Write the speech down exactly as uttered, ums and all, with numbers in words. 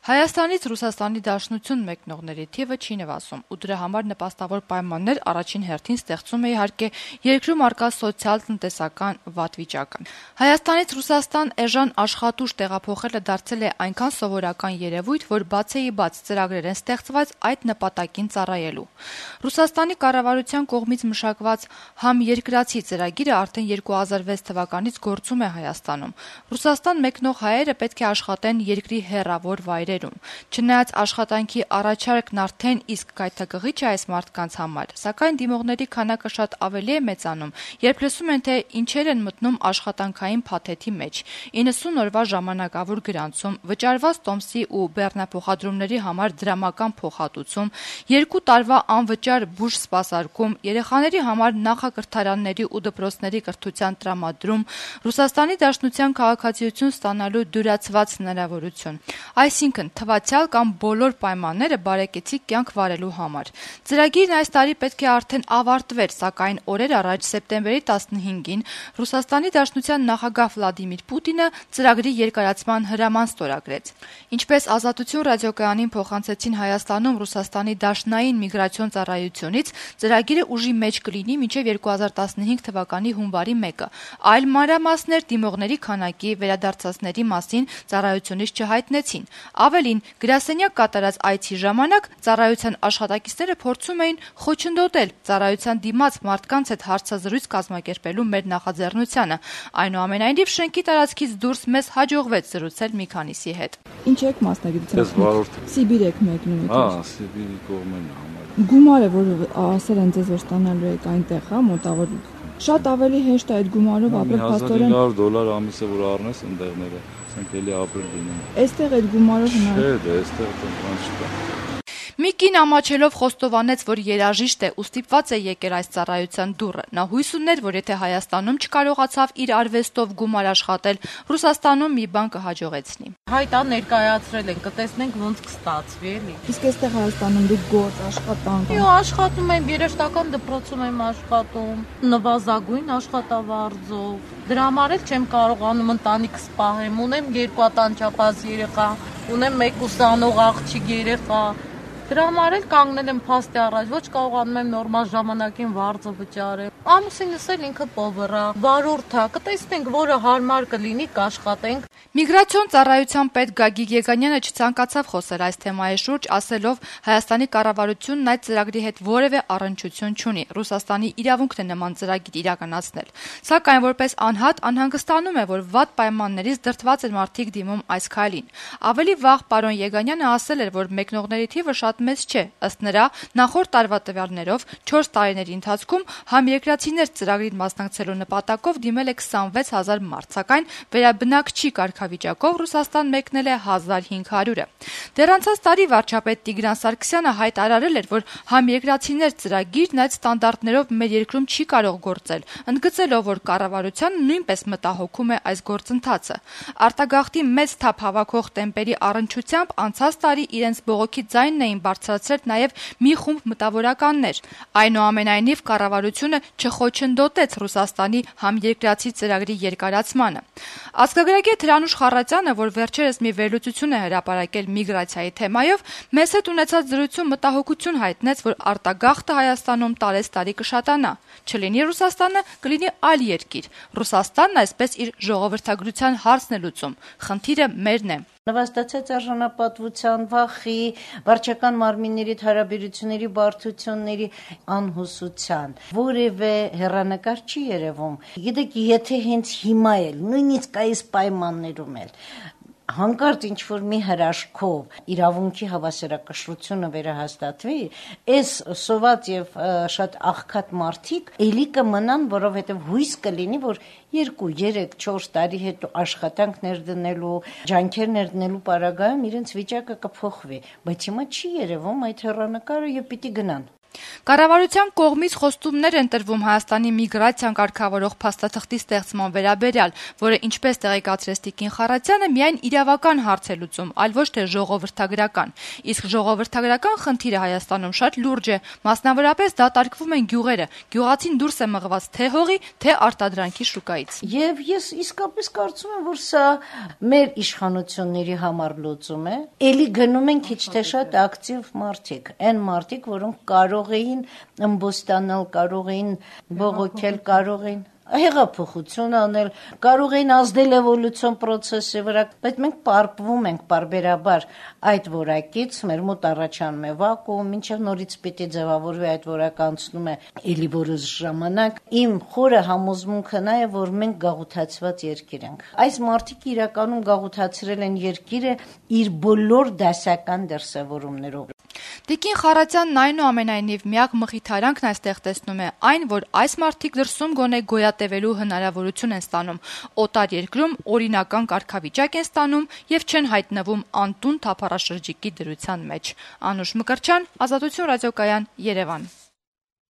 Հայաստանից Ռուսաստանի Դաշնություն մեկնողների թիվը չի նվազում, ու դրա համար նպաստավոր պայմաններ առաջին հերթին ստեղծում է իհարկե երկրում առկա սոցիալ-տնտեսական վատ վիճակը։ Հայաստանից Ռուսաստան էժան աշխատուժ տեղափոխելը դարձել է այնքան սովորական երևույթ, որ բացեիբաց ծրագրեր են ստեղծված այդ նպատակին ծառայելու։ Ռուսաստանի կառավարության կողմից մշակված «Համերկրացի» ծրագիրը արդեն երկու հազար վեց թվականից գործում է Հայաստանում։ Ռուսաստան մեկնող հայերը պետք է աշխատեն երկրի հեռավոր վայրերում։ Չնայած աշխատանքի առաջարկն արդեն իսկ գայթակղիչ է այս մարդկանց համար, սակայն դիմողների քանակը շատ ավելի է մեծանում, երբ լսում են, թե ինչեր են մտնում աշխատանքային փաթեթի մեջ՝ իննսուն օրվա ժամանակավոր գրանցում, վճարված տոմսի ու բեռնափոխադրումների համար դրամական փոխհատուցում, երկու տարվա անվճար բուժ սպասարկում, երեխաների համար նախակրթարանների ու դպրոցների կրթության տրամադրում, Ռուսաստանի Դաշնության քաղաքացիություն ստանալու դյուրացված հնարավորություն։ Այսինքն թվացյալ կամ բոլոր պայմանները բարեկեցիկ կյանք վարելու համար։ Ծրագիրն այս տարի պետք է արդեն ավարտվեր, սակայն օրեր առաջ սեպտեմբերի տասնհինգին Ռուսաստանի Դաշնության նախագահ Վլադիմիր Պուտինը ծրագրի երկարացման հրաման ստորագրեց։ Ինչպես Ազատություն ռադիոկայանին փոխանցեցին Հայաստանում Ռուսաստանի Դաշնային միգրացիոն ծառայությունից, ծրագիրը ուժի մեջ կլինի մինչև երկու հազար տասնհինգ թվականի հունվարի մեկը։ Այլ մանրամասներ դիմողների քանակի, վերադարձածների մասին ծառայությունից չհայտնեցին։ Ավելին, գրասենյակ կատարած այցի ժամանակ ծառայության աշխատակիցները փորձում էին խոչընդոտել ծառայության դիմաց մարդկանց հետ հարցազրույց կազմակերպելու մեր նախաձեռնությանը։ Այնուամենայնիվ, շենքի տարածքից դուրս մեզ հաջողվեց զրուցել մի քանիսի հետ։ Ինչ եք մասնագիտությամբ։ Սիբիր եք մեկնում։ Հա, Սիբիրի կողմն է համար։ Գումարը, որ ասել են ձեզ, որ ստանալու եք այնտեղ, հա, մոտավոր շատ ավելի հեշտ է այդ գումարով ապրել փաստորեն։ հազար հինգ հարյուր դոլար ամիսը որ առնես ընդեղները, ասենք էլի ապրել դինում։ Այստեղ այդ գումարով հնարավոր։ Չէ, դե այստեղ տնտես չկա։ Մի կին ամաչելով խոստովանեց, որ երաժիշտ է ու ստիպված է եկել այս ծառայության դուռը։ Նա հույս ուներ, որ եթե Հայաստանում չկարողացավ իր արվեստով գումար աշխատել, Ռուսաստանում մի բան կհաջողեցնի։ Հայտա ներկայացրել են, կտեսնենք ոնց կստացվի, էլի։ Իսկ այստեղ Հայաստանում դուք գործ աշխատանք։ Իո աշխատում եմ, երաժշտական դպրոցում եմ աշխատում, նվազագույն աշխատավարձով։ Դրա համար էլ չեմ կարողանում ընտանիքս պահեմ, ունեմ երկու տանջապազ երեխա, ունեմ մեկ ուսանող աղջիկ երեխա։ Դրա համար էլ կանգնել եմ փաստի առաջ, ոչ կարողանում եմ նորմալ ժամանակին վարձը վճարել։ Ամուսինս էլ ինքը պովերա, վարորդ է, կտեսնենք, որը հարմար կլինի, կաշխատենք։ Միգրացիոն ծառայության պետ Գագիկ Եգանյանը չցանկացավ խոսել այս թեմայի շուրջ, ասելով Հայաստանի կառավարությունն այդ ծրագրի հետ որևէ առնչություն չունի։ Ռուսաստանի իրավունքն է նման ծրագիր իրականացնել։ Սակայն որպես անհատ անհանգստանում է, որ վատ պայմաններից դրդված են մարդիկ դիմում այս քայլին։ Ավելի վաղ պարոն Եգանյանը ասել էր, որ մեկնողների թիվը շատ մեծ չէ։ Ըստ նրա, նախորդ տարվա տվյալներով չորս տարիների ընթացքում համերկրացիներ ծրագրին մասնակցելու նպատակով դիմել է քսանվեց հազար մարդ, սակայն վերաբնակչի կարգավիճակով Ռուսաստան մեկնել է հազար հինգ հարյուրը։ Դեռ անցած տարի վարչապետ Տիգրան Սարգսյանը հայտարարել էր, որ համերկրացիներ ծրագիրն այդ ստանդարտներով մեր երկրում չի կարող գործել, ընդգծելով, որ կառավարությանը նույնպես մտահոգում է այս գործընթացը։ Արտագաղթի մեծ թափ հավաքող տեմպերի առնչությամբ անցած տարի իրենց բողոքի ձայնն էին բարձրացրել նաև մի խումբ մտավորականներ։ Այնուամենայնիվ կառավարությունը չխոչընդոտեց Ռուսաստանի համերկրացի ծրագրի երկարացմանը։ Ազգագրագետ Հրանուշ Խառատյանը, որ վերջերս մի վերլուծություն է հրապարակել միգրացիայի թեմայով, մեզ հետ ունեցած զրույցում մտահոգություն հայտնեց, որ արտագաղթը Հայաստանում տարեցտարի կշատանա։ Չլինի Ռուսաստանը, կլինի այլ երկիր։ Ռուսաստանն այսպես իր ժողովրդագրության հարցն է լուծում։ Խնդիրը մերն է։ Նվաստացած արժանապատվության, վախի, վարչական մարմինների հարաբերությունների բարդությունների անհուսության որևէ հեռանկար չի երևում։ Գիտեք, եթե հենց հիմա էլ, նույնիսկ այս պայմաններում էլ հանկարծ ինչ-որ մի հրաշքով իրավունքի հավասարակշռությունը վերահաստատվի, այս սոված եւ շատ աղքատ մարդիկ էլի կմնան, որովհետեւ հույս կլինի, որ երկու, երեք, չորս տարի հետո աշխատանք ներդնելու, ջանքեր ներդնելու պարագայում իրենց վիճակը կփոխվի, բայց հիմա չի երևում այդ հեռանկարը եւ պիտի գնան։ Կառավարության կողմից խոստումներ են տրվում Հայաստանի միգրացիան կարգավորող փաստաթղթի ստեղծման վերաբերյալ, որը ինչպես տեղեկացրեց Տիկին Խառատյանը, միայն իրավական հարց է լուծում, այլ ոչ թե ժողովրդագրական։ Իսկ ժողովրդագրական խնդիրը Հայաստանում շատ լուրջ է, մասնավորապես դատարկվում են գյուղերը, գյուղացին դուրս է մղված թե հողի, թե արտադրանքի շուկայից։ Եվ ես իսկապես կարծում եմ, որ սա մեր իշխանությունների համար լուծում է։ Էլի գնում են քիչ թե շատ ակտիվ մարդիկ, այն մարդիկ, որոնք կարող էին ըմբոստանալ, կարող էին բողոքել, կարող էին հեղափոխություն անել, կարող էին ազդել էվոլյուցիոն process-ի վրա, բայց մենք պարպվում ենք պարբերաբար այդ որակից, մեր մոտ առաջանում է վակուում, մինչև նորից պիտի ձևավորվի այդ որակը անցնում է էլի որոշ ժամանակ։ Իմ խորը համոզմունքը նա է, որ մենք գաղութացված երկիր ենք։ Այս մարդիկ իրականում գաղութացրել են երկիրը իր բոլոր դասական դրսևորումներով։ Տիկին Խառատյանն այնուամենայնիվ միակ մխիթարանքն այստեղ տեսնում է այն, որ այս մարդիկ դրսում գոնե գոյատևելու հնարավորություն են ստանում, օտար երկրում օրինական կարգավիճակ են ստանում եւ չեն հայտնվում անտուն թափառաշրջիկի դրության մեջ։ Անուշ Մկրտչյան, Ազատություն ռադիոկայան, Երևան։